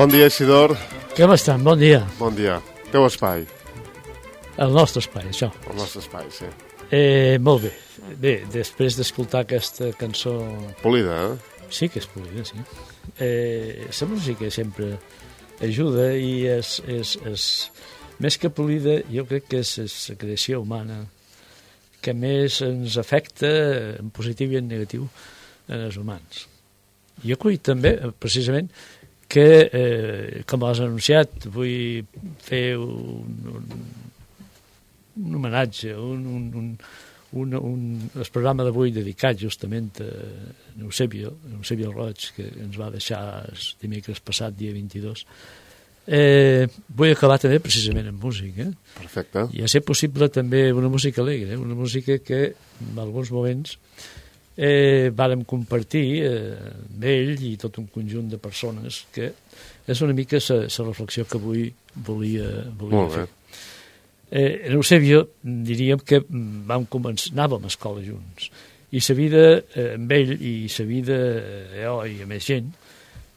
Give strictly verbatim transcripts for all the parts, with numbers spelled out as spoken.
Bon dia, Isidor. Com estan? Bon dia. Bon dia. Teu espai. El nostre espai, això. El nostre espai, sí. Eh, molt bé. Bé, després d'escoltar aquesta cançó... Polida, eh? Sí que és polida, sí. Eh, la música sempre ajuda i és, és, és... Més que polida, jo crec que és, és la creació humana que més ens afecta en positiu i en negatiu en els humans. Jo vull també, precisament, que, eh, com has anunciat, vull fer un, un, un homenatge, un, un, un, un, un, el programa d'avui dedicat justament a Eusebio, Eusebio Roig, que ens va deixar el dimecres passat, dia vint-i-dos. Eh, vull acabar també precisament amb música. Perfecte. I a ser possible també una música alegre, una música que en alguns moments eh, vàrem compartir eh, amb ell i tot un conjunt de persones, que és una mica la reflexió que avui volia, volia fer. Eh, en Eusebio diríem que vam començar, anàvem a escola junts, i la vida eh, amb ell i la vida eh, jo i amb més gent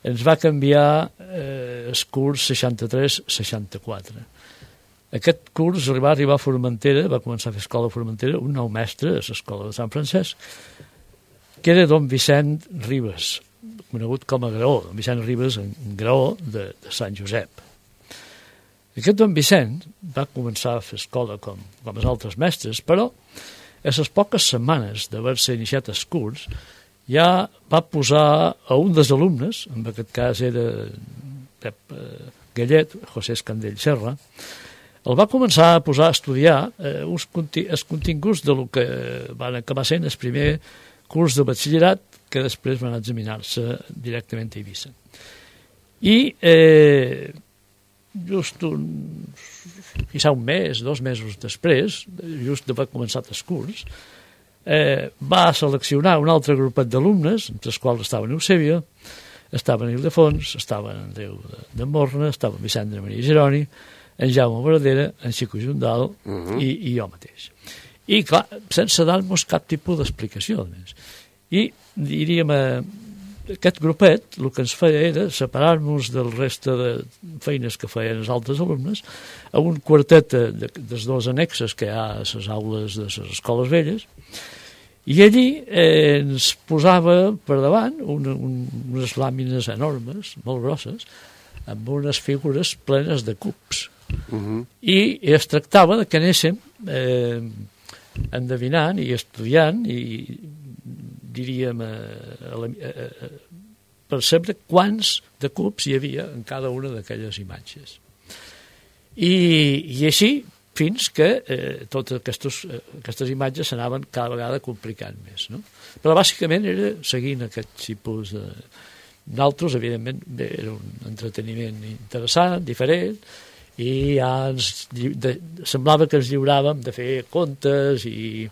ens va canviar eh, el curs seixanta-tres seixanta-quatre. Aquest curs va arribar a Formentera, va començar a fer escola a Formentera, un nou mestre a l'escola de Sant Francesc, que era don Vicent Ribes, conegut com a Graó, don Vicent Ribes en Graó de, de Sant Josep. Aquest don Vicent va començar a fer escola com, com els altres mestres, però a les poques setmanes d'haver-se iniciat el curs ja va posar a un dels alumnes, en aquest cas era Pep Gallet, José Escandell Serra, el va començar a posar a estudiar eh, uns conti els continguts de lo que van acabar sent el primer curs de batxillerat, que després van examinar-se directament a Eivissa. I eh, just un, quizà un mes, dos mesos després, just d'haver començat el curs, Eh, va seleccionar un altre grupet d'alumnes, entre els quals estaven Eusebio, estaven Ildefons, estaven Andreu de, de Morna, estaven Vicent de Maria Geroni, en Jaume Boradera, en Xico Jundal uh -huh. i, i jo mateix. I, clar, sense dar-nos cap tipus d'explicació, més. I, diríem, eh, aquest grupet, el que ens feia era separar-nos del reste de feines que feien els altres alumnes a un quartet de, de, dels dos annexes que hi ha a les aules de les escoles velles, i allí eh, ens posava per davant una, un, unes làmines enormes, molt grosses, amb unes figures plenes de cubs. Uh -huh. I, I es tractava de que anéssim eh, endevinant i estudiant i diríem eh, a la, eh, eh, percebre quants de cubs hi havia en cada una d'aquelles imatges. I, i així fins que eh, totes aquestes, eh, aquestes imatges s'anaven cada vegada complicant més, no? Però bàsicament era seguint aquest tipus de... D'altres, evidentment, bé, era un entreteniment interessant, diferent, i ja ens, de, semblava que ens lliuràvem de fer contes i,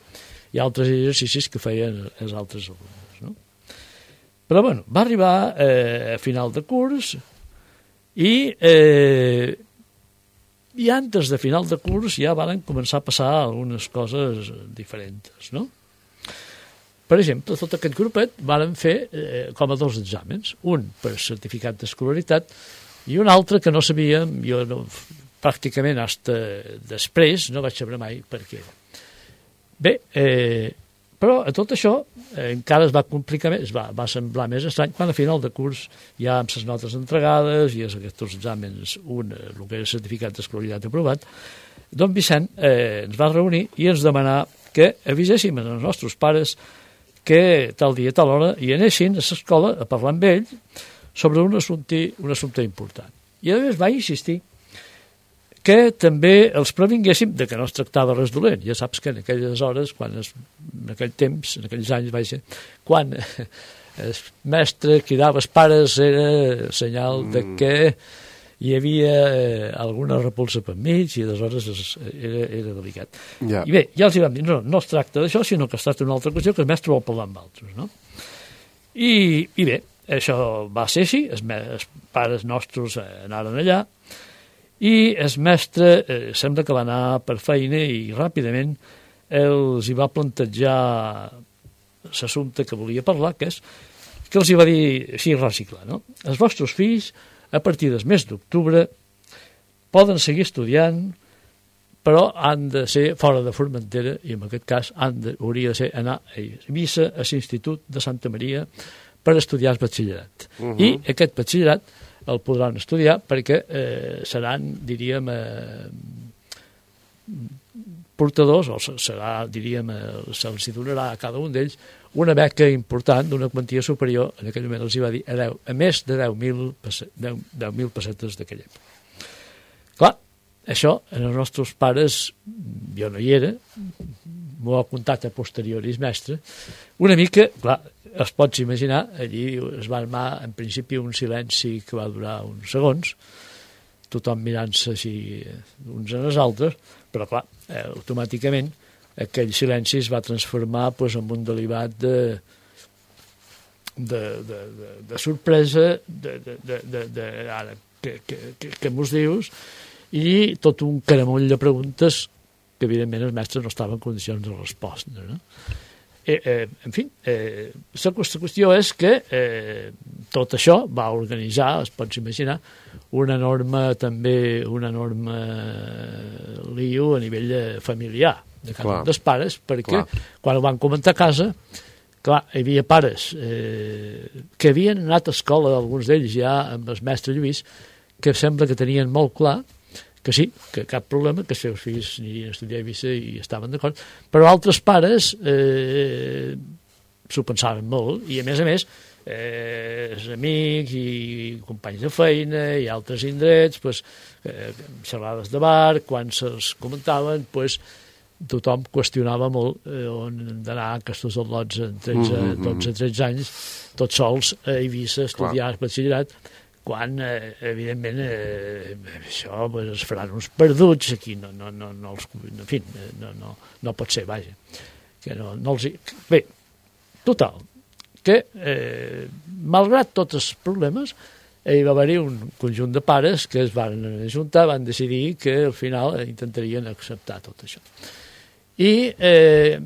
i altres exercicis que feien els altres alumnes, no? Però, bueno, va arribar eh, a final de curs i... Eh, i antes de final de curs ja van començar a passar algunes coses diferents, no? Per exemple, tot aquest grupet van fer eh, com a dos exàmens, un per certificat d'escolaritat i un altre que no sabíem, jo no, pràcticament hasta després no vaig saber mai per què. Bé, eh, però a tot això eh, encara es va complicar més, va, va semblar més estrany quan a final de curs ja amb les notes entregades i aquests exàmens, un, el que era certificat d'escolaritat aprovat, don Vicent eh, ens va reunir i ens demanar que aviséssim als nostres pares que tal dia, tal hora, hi anessin a l'escola a parlar amb ell sobre un assumpte, un assumpte important. I a més va insistir que també els previnguéssim de que no es tractava res dolent. Ja saps que en aquelles hores, quan es, en aquell temps, en aquells anys, vaja, quan el mestre cridava els pares era senyal de que hi havia eh, alguna repulsa per mig i aleshores es, era, era delicat. Yeah. I bé, ja els hi vam dir, no, no es tracta d'això, sinó que es tracta d'una altra qüestió que el mestre vol parlar amb altres, no? I, i bé, això va ser així, els, els pares nostres anaren allà i el mestre eh, sembla que va anar per feina i ràpidament els hi va plantejar l'assumpte que volia parlar, que és que els hi va dir així reciclar, no? Els vostres fills a partir del mes d'octubre poden seguir estudiant, però han de ser fora de Formentera, i en aquest cas han de, hauria de ser anar a Eivissa, a l'Institut de Santa Maria, per estudiar el batxillerat. Uh -huh. I aquest batxillerat el podran estudiar perquè eh, seran, diríem, eh, portadors, o serà, diríem, eh, se'ls donarà a cada un d'ells una beca important d'una quantia superior, en aquell moment els hi va dir, a, deu, a més de deu mil pessetes d'aquella època. Clar, això, en els nostres pares, jo no hi era, m'ho ha contat a posterioris mestre, una mica, clar, es pots imaginar, allí es va armar en principi un silenci que va durar uns segons, tothom mirant-se així uns en els altres, però clar, eh, automàticament aquell silenci es va transformar pues, en un delibat de, de, de, de, de sorpresa, de, de, de, de, de ara, què, què, què mos dius? I tot un caramull de preguntes que evidentment els mestres no estaven en condicions de respondre, no? Eh, eh, en fi, eh, la qüestió és que eh, tot això va organitzar, es pots imaginar, una enorme, també, una enorme lío a nivell familiar de cada un dels pares, perquè clar, quan ho van comentar a casa, clar, hi havia pares eh, que havien anat a escola, alguns d'ells ja amb el mestre Lluís, que sembla que tenien molt clar que sí, que cap problema, que els seus fills anirien a estudiar a Eivissa i estaven d'acord, però altres pares eh, s'ho pensaven molt, i a més a més eh, els amics i companys de feina i altres indrets, pues, eh, xerrades de bar, quan se'ls comentaven, pues, tothom qüestionava molt eh, on han d'anar aquests al·lots en tretze, dotze, tretze anys, tots sols a Eivissa, estudiar el batxillerat, quan, eh, evidentment, eh, això pues, es faran uns perduts, aquí no, no, no, no els... En fi, no, no, no pot ser, vaja. Que no, no els... Bé, total, que, eh, malgrat tots els problemes, hi va haver-hi un conjunt de pares que es van ajuntar, van decidir que al final intentarien acceptar tot això. I eh,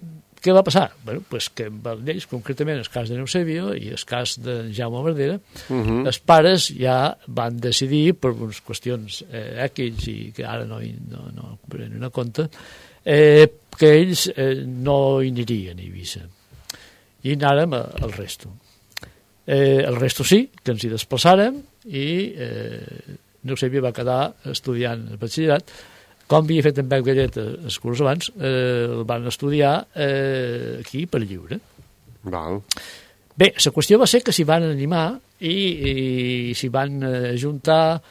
què va passar? Bueno, pues que amb ells, concretament el cas de Eusebio i el cas de Jaume Verdera, uh -huh. els pares ja van decidir, per unes qüestions eh, X i que ara no, no, no prenen a compte, eh, que ells eh, no hi anirien a Eivissa. I anàrem al resto. Eh, el resto sí, que ens hi desplaçàrem i eh, Eusebio va quedar estudiant el batxillerat. Com havia fet en Pep Gallet els curs abans, eh, el van estudiar eh, aquí per lliure. Val. Bé, la qüestió va ser que s'hi van animar i, i s'hi van ajuntar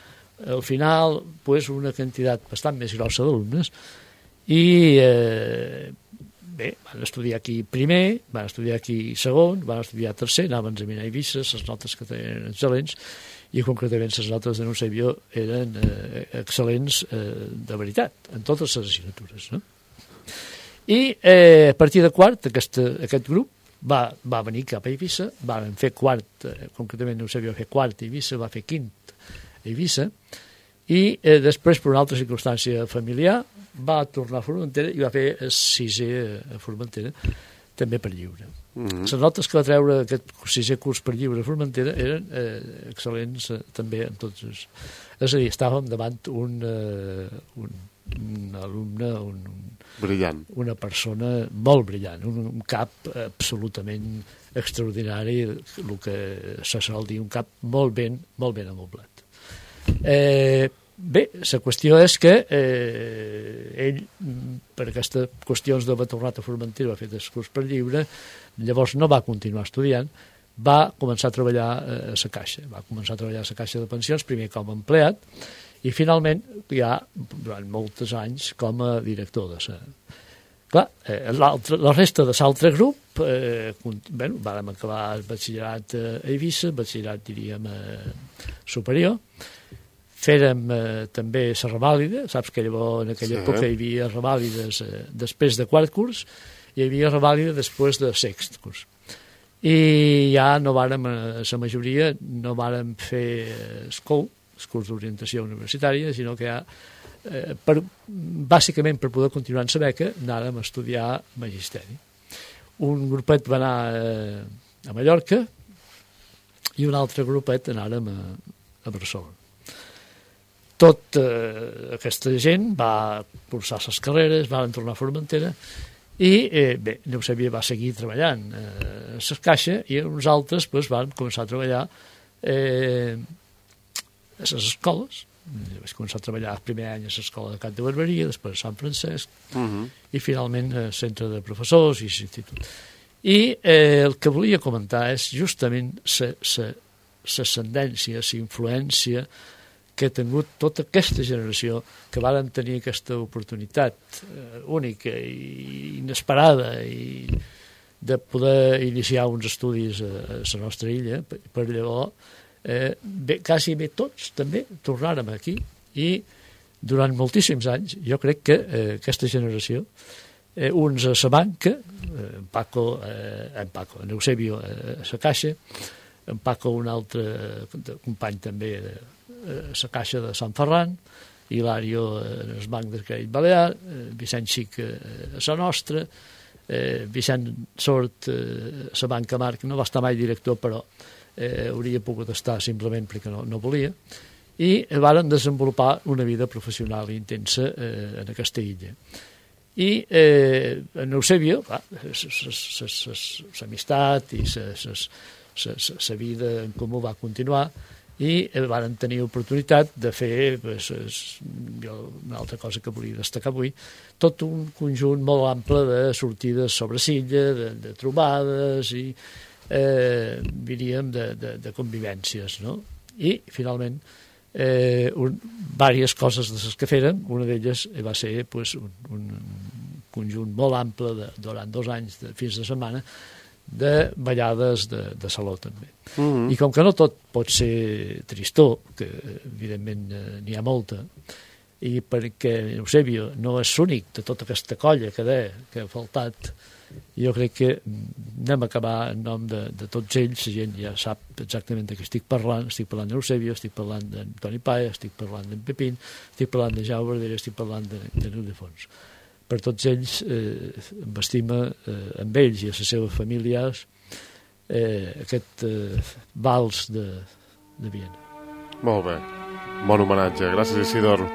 al final pues, una quantitat bastant més grossa d'alumnes i eh, bé, van estudiar aquí primer, van estudiar aquí segon, van estudiar tercer, anaven a examinar a Eivissa, les notes que tenen excel·lents, i concretament les notes de Eusebio eren eh, excel·lents eh, de veritat, en totes les assignatures. No? I eh, a partir de quart, aquest, aquest grup va, va venir cap a Eivissa, van fer quart, eh, concretament Eusebio va fer quart a Eivissa, va fer quint a Eivissa, i eh, després, per una altra circumstància familiar, va tornar a Formentera i va fer el sisè a Formentera, també per lliure. Mm-hmm. Les notes que va treure aquest sisè curs per lliure a Formentera eren eh, excel·lents eh, també en tots els... És a dir, estàvem davant un, eh, un, un alumne, un, un, brillant. Una persona molt brillant, un, un cap absolutament extraordinari, el que se sol dir, un cap molt ben, molt ben amoblat. Eh, Bé, la qüestió és que eh, ell, per aquestes qüestions d'haver tornat a Formentera, va fer el curs per lliure, llavors no va continuar estudiant, va començar a treballar a la Caixa, va començar a treballar a la Caixa de Pensions, primer com a empleat, i finalment, ja durant molts anys, com a director de la... Clar, eh, la resta de l'altre grup, eh, bueno, vam acabar el batxillerat a Eivissa, batxillerat, diríem, eh, superior, fèrem eh, també la revàlida, saps que llavors en aquella sí. època hi havia revàlides eh, després de quart curs i hi havia revàlida després de sext curs. I ja no vàrem, la majoria, no vàrem fer el C O U, el curs d'orientació universitària, sinó que ja, eh, per, bàsicament per poder continuar en la beca, anàrem a estudiar magisteri. Un grupet va anar eh, a Mallorca i un altre grupet anàrem a, a Barcelona. Tot eh, aquesta gent va cursar les carreres, van tornar a Formentera i, eh, bé, Eusebio va seguir treballant eh, a la caixa i uns altres pues, van començar a treballar eh, a les escoles. Vaig començar a treballar el primer any a l'escola de Cant de Barberia, després a Sant Francesc, uh-huh. i finalment al centre de professors i l'institut. I eh, el que volia comentar és justament l'ascendència, la influència que ha tingut tota aquesta generació que varen tenir aquesta oportunitat eh, única i inesperada i de poder iniciar uns estudis a, a la nostra illa, per, per llavors eh, bé, quasi bé tots també tornàrem aquí i durant moltíssims anys jo crec que eh, aquesta generació eh, uns a la banca, eh, en Paco, eh, en Paco, en Eusebio eh, a la caixa, en Paco un altre eh, company també de a la Caixa de Sant Ferran, Hilario en el Banc del Crèdit Balear, Vicent Xic a la nostra, eh, Vicent Sort a la Banca Marc, no va estar mai director, però eh, hauria pogut estar simplement perquè no, no volia, i varen desenvolupar una vida professional intensa eh, en aquesta illa. I eh, en Eusebio, l'amistat i la vida en comú va continuar, i van tenir oportunitat de fer, pues, jo, una altra cosa que volia destacar avui, tot un conjunt molt ample de sortides sobre silla, de, de trobades i, eh, diríem, de, de, de convivències, no? I, finalment, eh, un, diverses coses de les que feren, una d'elles va ser pues, un, un conjunt molt ample de, durant dos anys, de, fins de setmana, de ballades de, de saló també. Mm-hmm. I com que no tot pot ser tristor, que evidentment n'hi ha molta, i perquè Eusebio no és l'únic de tota aquesta colla que deia que ha faltat, jo crec que anem a acabar en nom de, de tots ells, la gent ja sap exactament de què estic parlant, estic parlant d'Eusebio, estic parlant d'Antoni Paia, estic parlant d'en Pepín, estic parlant de Jaume Verdera, estic parlant de, de Ildefons. Per tots ells, eh, amb estima, eh, amb ells i a les seves famílies, eh, aquest eh, vals de, de Viena. Molt bé. Bon homenatge. Gràcies, Isidor.